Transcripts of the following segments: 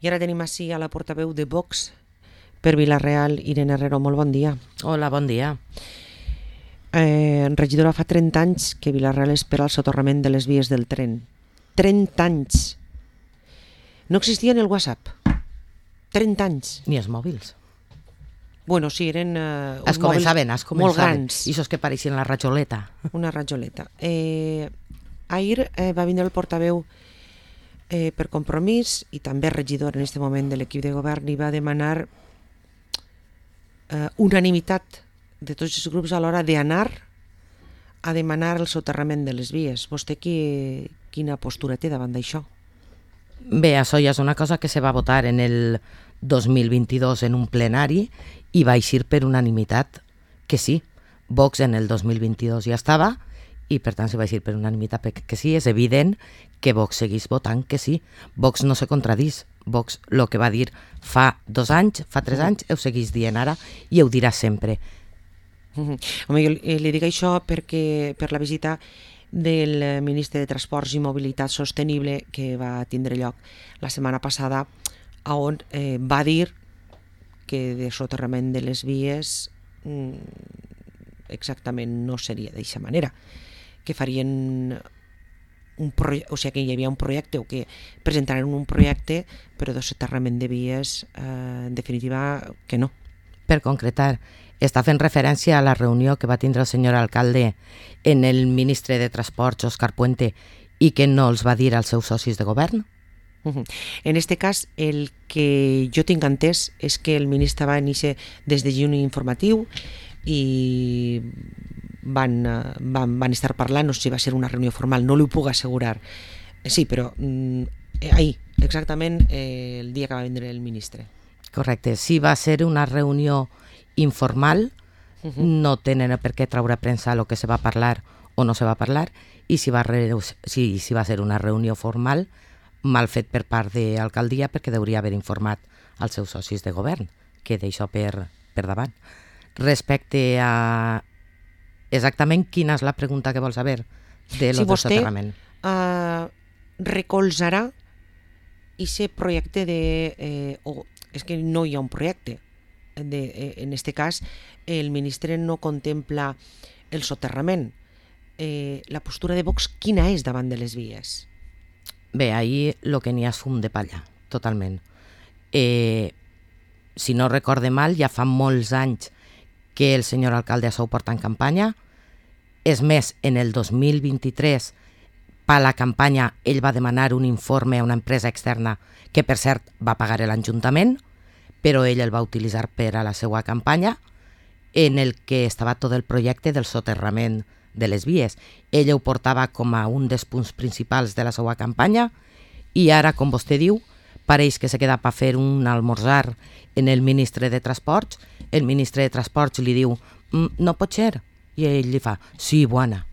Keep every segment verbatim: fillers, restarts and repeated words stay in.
I ara tenim així a la portaveu de Vox per Vila-real, Irene Herrero. Molt bon dia. Hola, bon dia. Eh, regidora, fa trenta anys que Vila-real espera el soterrament de les vies del tren. trenta anys. No existia ni el WhatsApp. trenta anys. Ni els mòbils. Bueno, sí, eren eh, es començaven, es començaven. molt grans. I això que pareixien la rajoleta. Una rajoleta. Eh, ahir eh, va vindre el portaveu eh, per Compromís i també regidor en aquest moment de l'equip de govern i va demanar eh, unanimitat de tots els grups a l'hora d'anar a demanar el soterrament de les vies. Vostè qui, quina postura té davant d'això? Bé, això ja és una cosa que se va votar en el dos mil vint-i-dos en un plenari i va eixir per unanimitat que sí. Vox en el dos mil vint-i-dos ja estava i per tant se va eixir per unanimitat que sí. És evident que Vox seguís votant que sí. Vox no se contradís. Vox el que va dir fa dos anys, fa tres anys, ho seguís dient ara i ho dirà sempre. Home, jo li dic això perquè per la visita del ministre de Transports i Mobilitat Sostenible que va tindre lloc la setmana passada, on eh, va dir que de soterrament de les vies mm, exactament no seria d'aquesta manera, que farien un projecte, o sigui que hi havia un projecte o que presentaren un projecte però de soterrament de vies eh, en definitiva que no. Per concretar, està fent referència a la reunió que va tindre el senyor alcalde en el ministre de Transports, Òscar Puente, i que no els va dir als seus socis de govern? Uh-huh. En aquest cas, el que jo tinc entès és que el ministre va iniciar des de juny informatiu i van, van, van estar parlant, no sé si va ser una reunió formal, no li ho puc assegurar. Sí, però eh, ahir, exactament eh, el dia que va vindre el ministre. Correcte, sí va ser una reunió informal, uh-huh. No tenen per què traure a premsa el que se va parlar o no se va parlar, i si va, re... si, si va ser una reunió formal, mal fet per part de l'alcaldia perquè hauria haver informat als seus socis de govern, que d'això per, per davant. Respecte a exactament quina és la pregunta que vols saber de lo si del soterrament. Si vostè uh, recolzarà aquest projecte de... Eh, o, és que no hi ha un projecte. De, eh, en aquest cas, el ministre no contempla el soterrament. Eh, la postura de Vox quina és davant de les vies? Bé, ahir el que n'hi ha és fum de palla, totalment. Eh, si no recorde mal, ja fa molts anys que el senyor alcalde això ho porta en campanya. És més, en el dos mil vint-i-tres, per la campanya, ell va demanar un informe a una empresa externa que, per cert, va pagar l'Ajuntament, però ell el va utilitzar per a la seva campanya, en el que estava tot el projecte del soterrament de les vies. Ell ho portava com a un dels punts principals de la seva campanya i ara, com vostè diu, pareix que se queda per fer un almorzar en el ministre de Transports. El ministre de Transports li diu mm, no pot ser, i ell li fa sí, bona.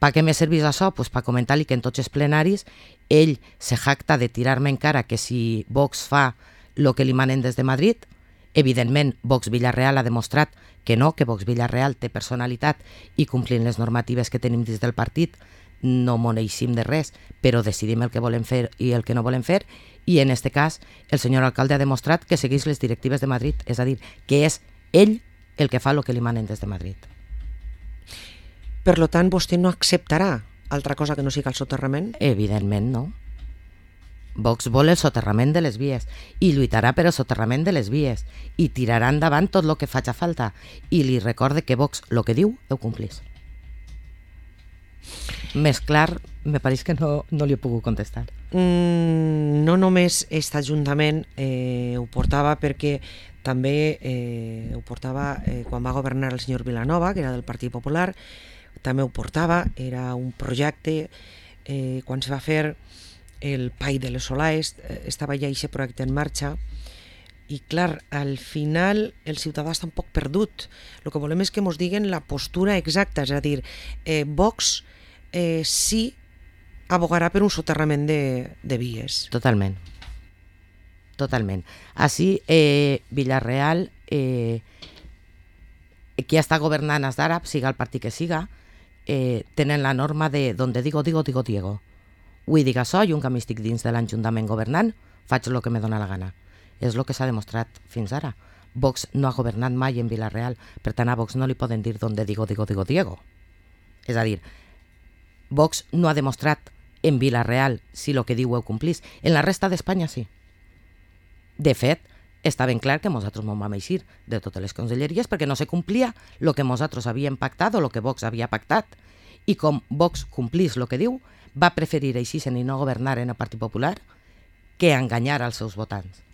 Per què me servís això? Pues per comentar-li que en tots els plenaris ell se jacta de tirar-me encara que si Vox fa el que li manen des de Madrid. Evidentment, Vox Vila-real ha demostrat que no, que Vox Vila-real té personalitat i complint les normatives que tenim des del partit no moneixim de res, però decidim el que volem fer i el que no volem fer, i en aquest cas el senyor alcalde ha demostrat que segueix les directives de Madrid, és a dir, que és ell el que fa el que li manen des de Madrid. Per tant, vostè no acceptarà altra cosa que no sigui el soterrament? Evidentment no. Vox vol el soterrament de les vies i lluitarà per el soterrament de les vies i tirarà endavant tot el que faci falta, i li recorde que Vox el que diu ho complís. Més clar, me pareix que no, no li he pogut contestar. Mm, no només aquest Ajuntament eh, ho portava perquè també eh, ho portava eh, quan va governar el senyor Vilanova, que era del Partit Popular, també ho portava, era un projecte, eh, quan se va fer el P A I de les Solaes, eh, estava ja aquest projecte en marxa, i clar, al final el ciutadà està un poc perdut. El que volem és que ens diguen la postura exacta, és a dir, eh, Vox eh, sí abogarà per un soterrament de, de vies. Totalment. Totalment. Així, eh, Vila-real, eh, qui està governant és d'ara, siga el partit que siga, eh, tenen la norma de donde digo, digo, digo, Diego. Vull dir això, i un que m'estic dins de l'Ajuntament governant, faig el que me dóna la gana. És el que s'ha demostrat fins ara. Vox no ha governat mai en Vila-real, per tant a Vox no li poden dir donde digo, digo, digo, Diego. És a dir, Vox no ha demostrat en Vila-real si el que diu ho complís. En la resta d'Espanya sí. De fet, està ben clar que nosaltres ens vam eixir de totes les conselleries perquè no se complia el que nosaltres havíem pactat o el que Vox havia pactat. I com Vox complís el que diu, va preferir eixir-se'n i no governar en el Partit Popular que enganyar als seus votants.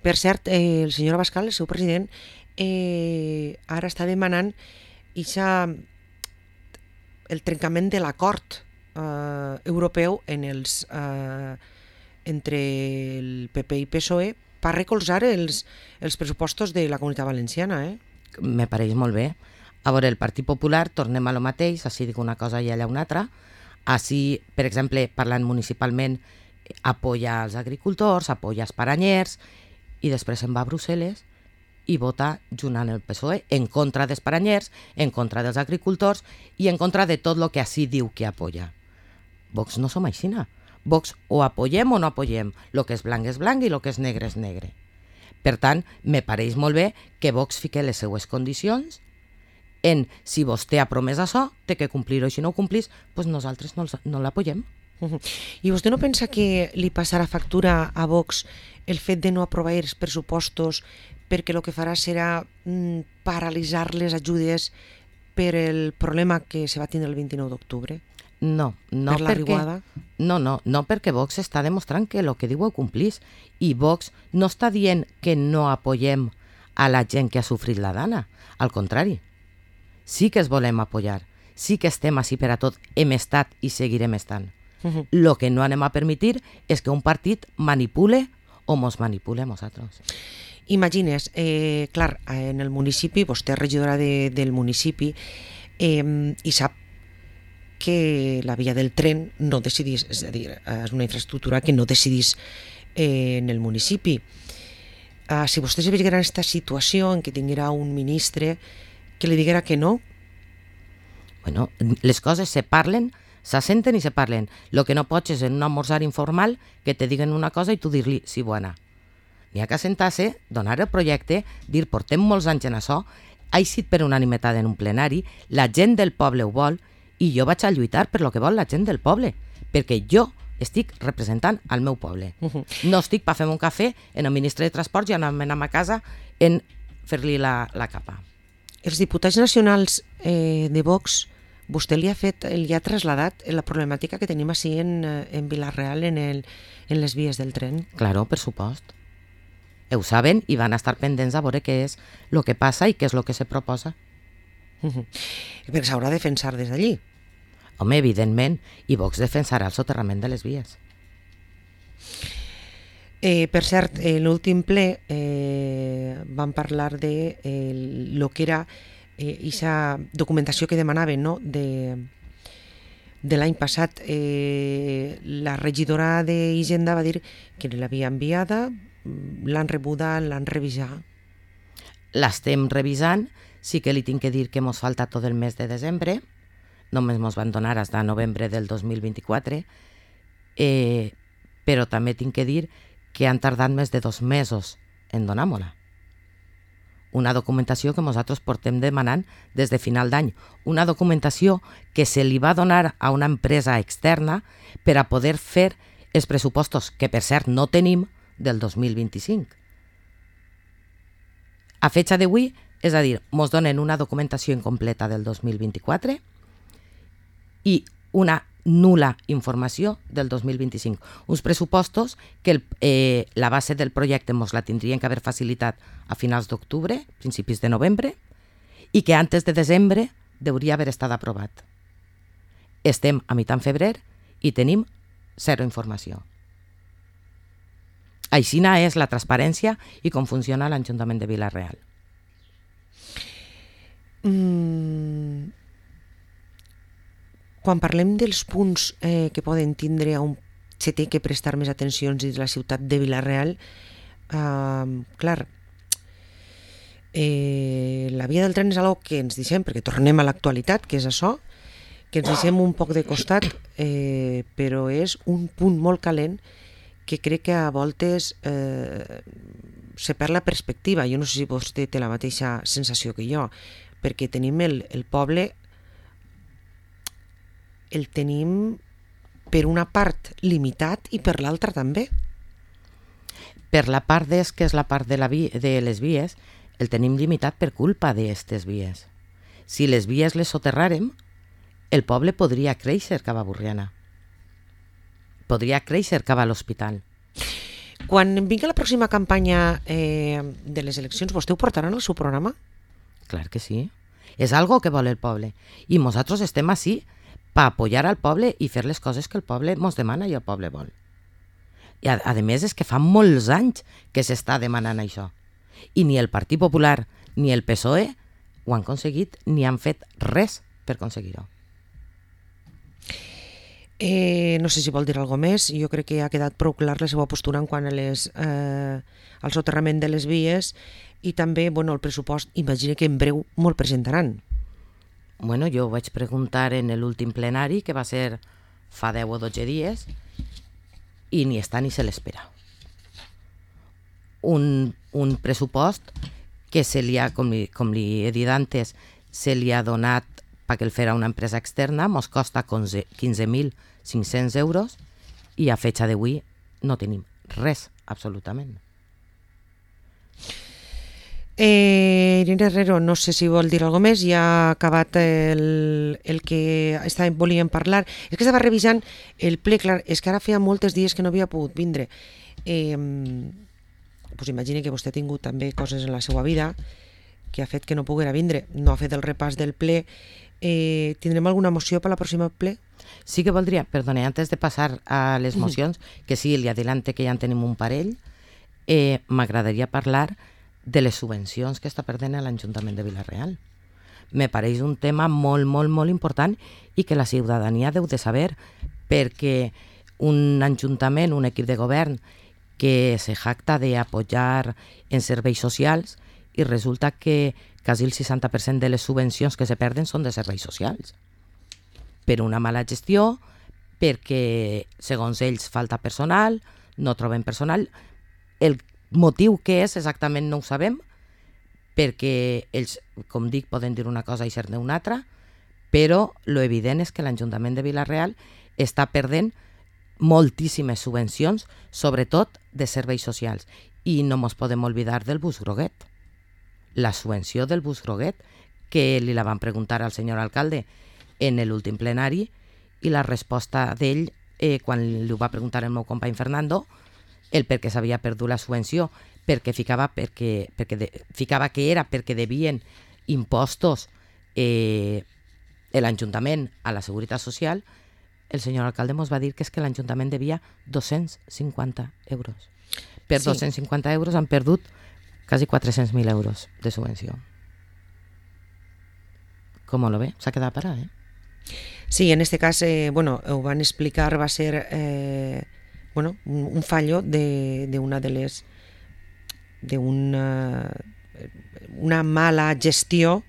Per cert, eh, el senyor Abascal, el seu president, eh, ara està demanant ixa, el trencament de l'acord eh, europeu en els, eh, entre el P P i P S O E per recolzar els, els pressupostos de la Comunitat Valenciana. Eh? Me pareix molt bé. A veure, el Partit Popular, tornem a lo mateix, així dic una cosa i allà una altra. Així, per exemple, parlant municipalment, apoya els agricultors, apoya els paranyers, i després se'n va a Brussel·les i vota junt amb el P S O E en contra dels paranyers, en contra dels agricultors i en contra de tot el que així diu que apoya. Vox no som aixina. Vox o apoyem o no apoyem. El que és blanc és blanc i el que és negre és negre. Per tant, me pareix molt bé que Vox fique les seues condicions en si vostè ha promès això, té que complir-ho, i si no ho complís, doncs nosaltres no, no l'apoyem. I vostè no pensa que li passarà factura a Vox el fet de no aprovar els pressupostos perquè el que farà serà mm, paralitzar les ajudes per el problema que se va tindre el vint-i-nou d'octubre? No, no, per la perquè, riuada? no, no, no perquè Vox està demostrant que el que diu ho complís, i Vox no està dient que no apoyem a la gent que ha sofrit la dana, al contrari, sí que es volem apoyar, sí que estem així per a tot, hem estat i seguirem estant. Uh-huh. Lo que no anem a permitir és que un partit manipule o mos manipule a nosaltres. Imagines, eh, clar, en el municipi, vostè és regidora de, del municipi, eh, i sap que la via del tren no decidís, és a dir, és una infraestructura que no decidís eh, en el municipi. Uh, si vostè se veiera en aquesta situació en què tinguera un ministre que li diguera que no? Bueno, les coses se parlen, s'assenten i se parlen. Lo que no pots és en un almorzar informal que te diguen una cosa i tu dir-li sí, bona. N'hi ha que assentar-se, donar el projecte, dir portem molts anys en això, ha eixit per unanimitat en un plenari, la gent del poble ho vol i jo vaig a lluitar per lo que vol la gent del poble, perquè jo estic representant al meu poble. Uh-huh. No estic per fer un cafè en el ministre de Transports i anar a casa en fer-li la, la capa. Els diputats nacionals eh, de Vox, vostè li ha fet, li ha traslladat la problemàtica que tenim així en, en Vila-real en, el, en les vies del tren? Claro, per supost. Ho saben i van estar pendents a veure què és el que passa i què és el que se proposa. Uh-huh. Perquè s'haurà de defensar des d'allí. Home, evidentment, i Vox defensarà el soterrament de les vies. Eh, per cert, en l'últim ple eh, vam parlar de eh, lo que era aquesta eh, documentació que demanaven, no? de, de l'any passat. Eh, la regidora d'Hisenda va dir que l'havia enviada, l'han rebuda, l'han revisat. L'estem revisant, sí que li tinc que dir que mos falta tot el mes de desembre, només mos van donar fins a novembre del dos mil vint-i-quatre, eh, però també tinc que dir que han tardat més de dos mesos en donar-me-la. Una documentació que nosaltres portem demanant des de final d'any. Una documentació que se li va donar a una empresa externa per a poder fer els pressupostos, que per cert no tenim, del dos mil vint-i-cinc. A fecha d'avui, és a dir, mos donen una documentació incompleta del dos mil vint-i-quatre i una nul·la informació del dos mil vint-i-cinc. Uns pressupostos que el, eh, la base del projecte mos la tindrien que haver facilitat a finals d'octubre, principis de novembre, i que antes de desembre hauria haver estat aprovat. Estem a mitjan febrer i tenim zero informació. Aixina és la transparència i com funciona l'Ajuntament de Vila-real. Mm. Quan parlem dels punts eh, que poden tindre on se té que prestar més atencions dins la ciutat de Vila-real, eh, clar, eh, la via del tren és algo que ens deixem, perquè tornem a l'actualitat, que és això, que ens deixem un poc de costat, eh, però és un punt molt calent que crec que a voltes eh, se perd la perspectiva. Jo no sé si vostè té la mateixa sensació que jo, perquè tenim el, el poble, el tenim per una part limitat i per l'altra també. Per la part d'es, que és la part de, la vi, de les vies, el tenim limitat per culpa d'aquestes vies. Si les vies les soterràrem, el poble podria créixer cap a Borriana. Podria créixer cap a l'hospital. Quan vingui la pròxima campanya eh, de les eleccions, vostè ho portarà en el seu programa? Clar que sí. És algo que vol el poble. I nosaltres estem així per apoyar al poble i fer les coses que el poble ens demana i el poble vol. I a, a més és que fa molts anys que s'està demanant això. I ni el Partit Popular ni el P S O E ho han aconseguit ni han fet res per aconseguir-ho. Eh, no sé si vol dir alguna més. Jo crec que ha quedat prou clar la seva postura en quant a les, eh, al soterrament de les vies i també bueno, el pressupost, imagina que en breu molt presentaran. Bueno, jo ho vaig preguntar en l'últim plenari, que va ser fa deu o dotze dies, i ni està ni se l'espera. Un, un pressupost que se li ha, com li, com li he dit antes, se li ha donat perquè el farà una empresa externa, mos costa quinze mil cinc-cents euros i a fecha d'avui no tenim res, absolutament. Eh, Irene Herrero, no sé si vol dir alguna més, ja ha acabat el, el que estàvem, volíem parlar. És que estava revisant el ple, clar, és que ara feia molts dies que no havia pogut vindre. Eh, pues imagine que vostè ha tingut també coses en la seva vida que ha fet que no poguera vindre, no ha fet el repàs del ple. Eh, tindrem alguna moció per la pròxima ple? Sí que voldria, perdone, antes de passar a les mocions, que sí, li adelante que ja en tenim un parell, eh, m'agradaria parlar de les subvencions que està perdent l'Ajuntament de Vila-real. Me pareix un tema molt, molt, molt important i que la ciutadania deu de saber, perquè un ajuntament, un equip de govern que se jacta d'apoyar en serveis socials i resulta que quasi el seixanta per cent de les subvencions que se perden són de serveis socials. Per una mala gestió, perquè segons ells falta personal, no trobem personal. El motiu que és exactament no ho sabem, perquè ells, com dic, poden dir una cosa i ser-ne una altra, però lo evident és que l'Ajuntament de Vila-real està perdent moltíssimes subvencions, sobretot de serveis socials. I no ens podem oblidar del bus groguet. La subvenció del bus groguet, que li la van preguntar al senyor alcalde en l'últim plenari, i la resposta d'ell, eh, quan li ho va preguntar el meu company Fernando, el per què s'havia perdut la subvenció, perquè ficava, perquè, perquè de, ficava que era perquè devien impostos eh, l'Ajuntament a la Seguretat Social, el senyor alcalde ens va dir que és que l'Ajuntament devia dos-cents cinquanta euros. Per sí. dos-cents cinquanta euros han perdut quasi quatre-cents mil euros de subvenció. Com lo ve? S'ha quedat parat, eh? Sí, en este cas, eh, bueno, ho van explicar, va ser eh, bueno, un, un fallo de, de una de les de una, una mala gestió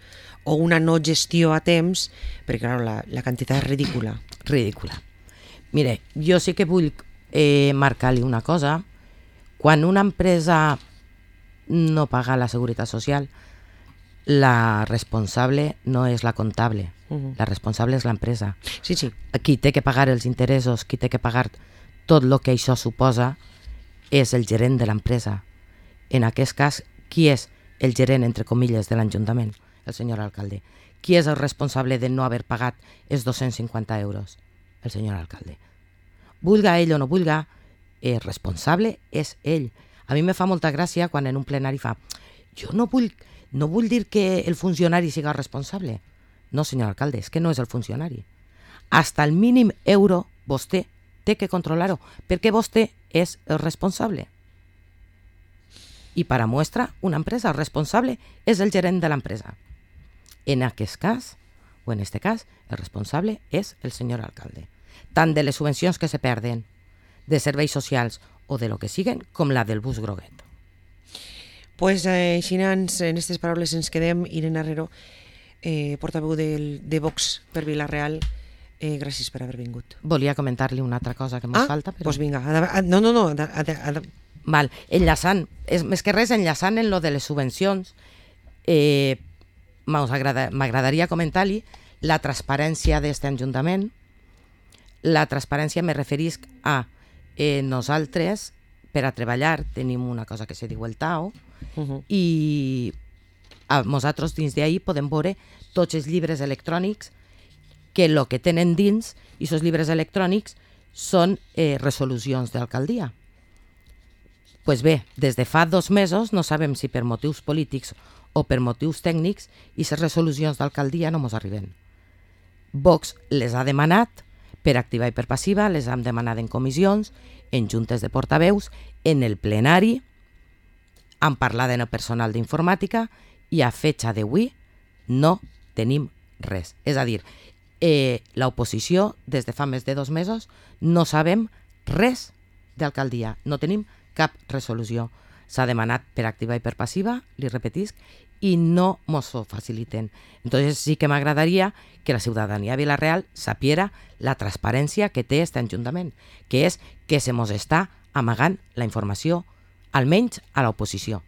o una no gestió a temps, perquè clar, la, la quantitat és ridícula. Ridícula. Mire, jo sí que vull eh, marcar-li una cosa. Quan una empresa no paga la Seguretat Social, la responsable no és la comptable, uh-huh. La responsable és l'empresa. Sí, sí. Qui té que pagar els interessos, qui té que pagar tot el que això suposa, és el gerent de l'empresa. En aquest cas, qui és el gerent, entre comilles, de l'Ajuntament? El senyor alcalde. Qui és el responsable de no haver pagat els dos-cents cinquanta euros? El senyor alcalde. Vulga ell o no vulga, el responsable és ell. A mi me fa molta gràcia quan en un plenari fa jo no vull, no vull dir que el funcionari siga responsable. No, senyor alcalde, és que no és el funcionari. Hasta el mínim euro vostè té que controlar-ho, perquè vostè és el responsable. I per a muestra, una empresa, el responsable és el gerent de l'empresa. En aquest cas, o en este cas, el responsable és el senyor alcalde. Tant de les subvencions que se perden, de serveis socials o de lo que siguen, com la del bus groguet. Pues eh, així en aquestes paraules ens quedem. Irene Herrero, eh, portaveu del, de Vox per Vila-real, Eh, gràcies per haver vingut. Volia comentar-li una altra cosa que ens ah, falta. Però... doncs vinga, no, no, no. Ha de, ha de, ha de... Val, enllaçant, és, més que res enllaçant en lo de les subvencions, eh, m'agradaria comentar-li la transparència d'aquest Ajuntament. La transparència me referisc a eh, nosaltres, per a treballar, tenim una cosa que se diu el T A O, uh -huh. i a nosaltres dins d'ahir podem veure tots els llibres electrònics que el que tenen dins, i aquests llibres electrònics són eh, resolucions d'alcaldia. Pues bé, des de fa dos mesos no sabem si per motius polítics o per motius tècnics i les resolucions d'alcaldia no ens arriben. Vox les ha demanat per activa i per passiva, les hem demanat en comissions, en juntes de portaveus, en el plenari, han parlat en el personal d'informàtica i a fetxa d'avui no tenim res. És a dir, eh, l'oposició des de fa més de dos mesos no sabem res d'alcaldia, no tenim cap resolució. S'ha demanat per activa i per passiva, li repetisc, i no mos ho faciliten. Entonces sí que m'agradaria que la ciutadania de Vila-real sapiera la transparència que té aquest Ajuntament, que és que se mos està amagant la informació, almenys a l'oposició.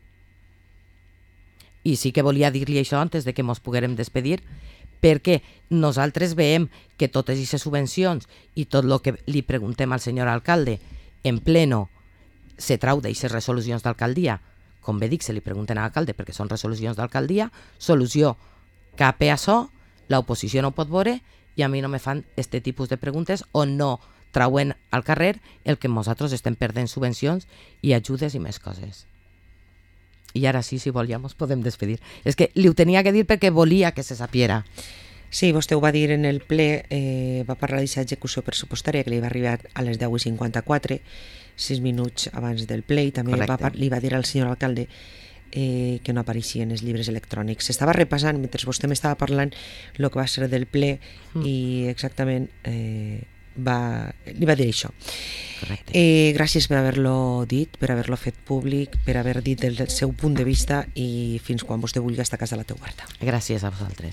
I sí que volia dir-li això antes de que mos poguérem despedir, perquè nosaltres veiem que totes aquestes subvencions i tot el que li preguntem al senyor alcalde en pleno se trau d'aquestes resolucions d'alcaldia. Com bé dic, se li pregunten a l'alcalde perquè són resolucions d'alcaldia, solució cap a això, l'oposició no pot veure i a mi no me fan aquest tipus de preguntes on no trauen al carrer el que nosaltres estem perdent subvencions i ajudes i més coses. I ara sí, si volia, ens podem despedir. És que li ho tenia que dir perquè volia que se sapiera. Sí, vostè ho va dir en el ple, eh, va parlar d'aquesta execució pressupostària que li va arribar a les deu i cinquanta-quatre, sis minuts abans del ple, i també va, li va dir al senyor alcalde eh, que no apareixien els llibres electrònics. S'estava repassant, mentre vostè m'estava parlant, el que va ser del ple, mm. i exactament eh, va, li va dir això. Eh, gràcies per haver-lo dit, per haver-lo fet públic, per haver dit el seu punt de vista, i fins quan vostè vulgui estar a casa la teva oberta. Gràcies a vosaltres.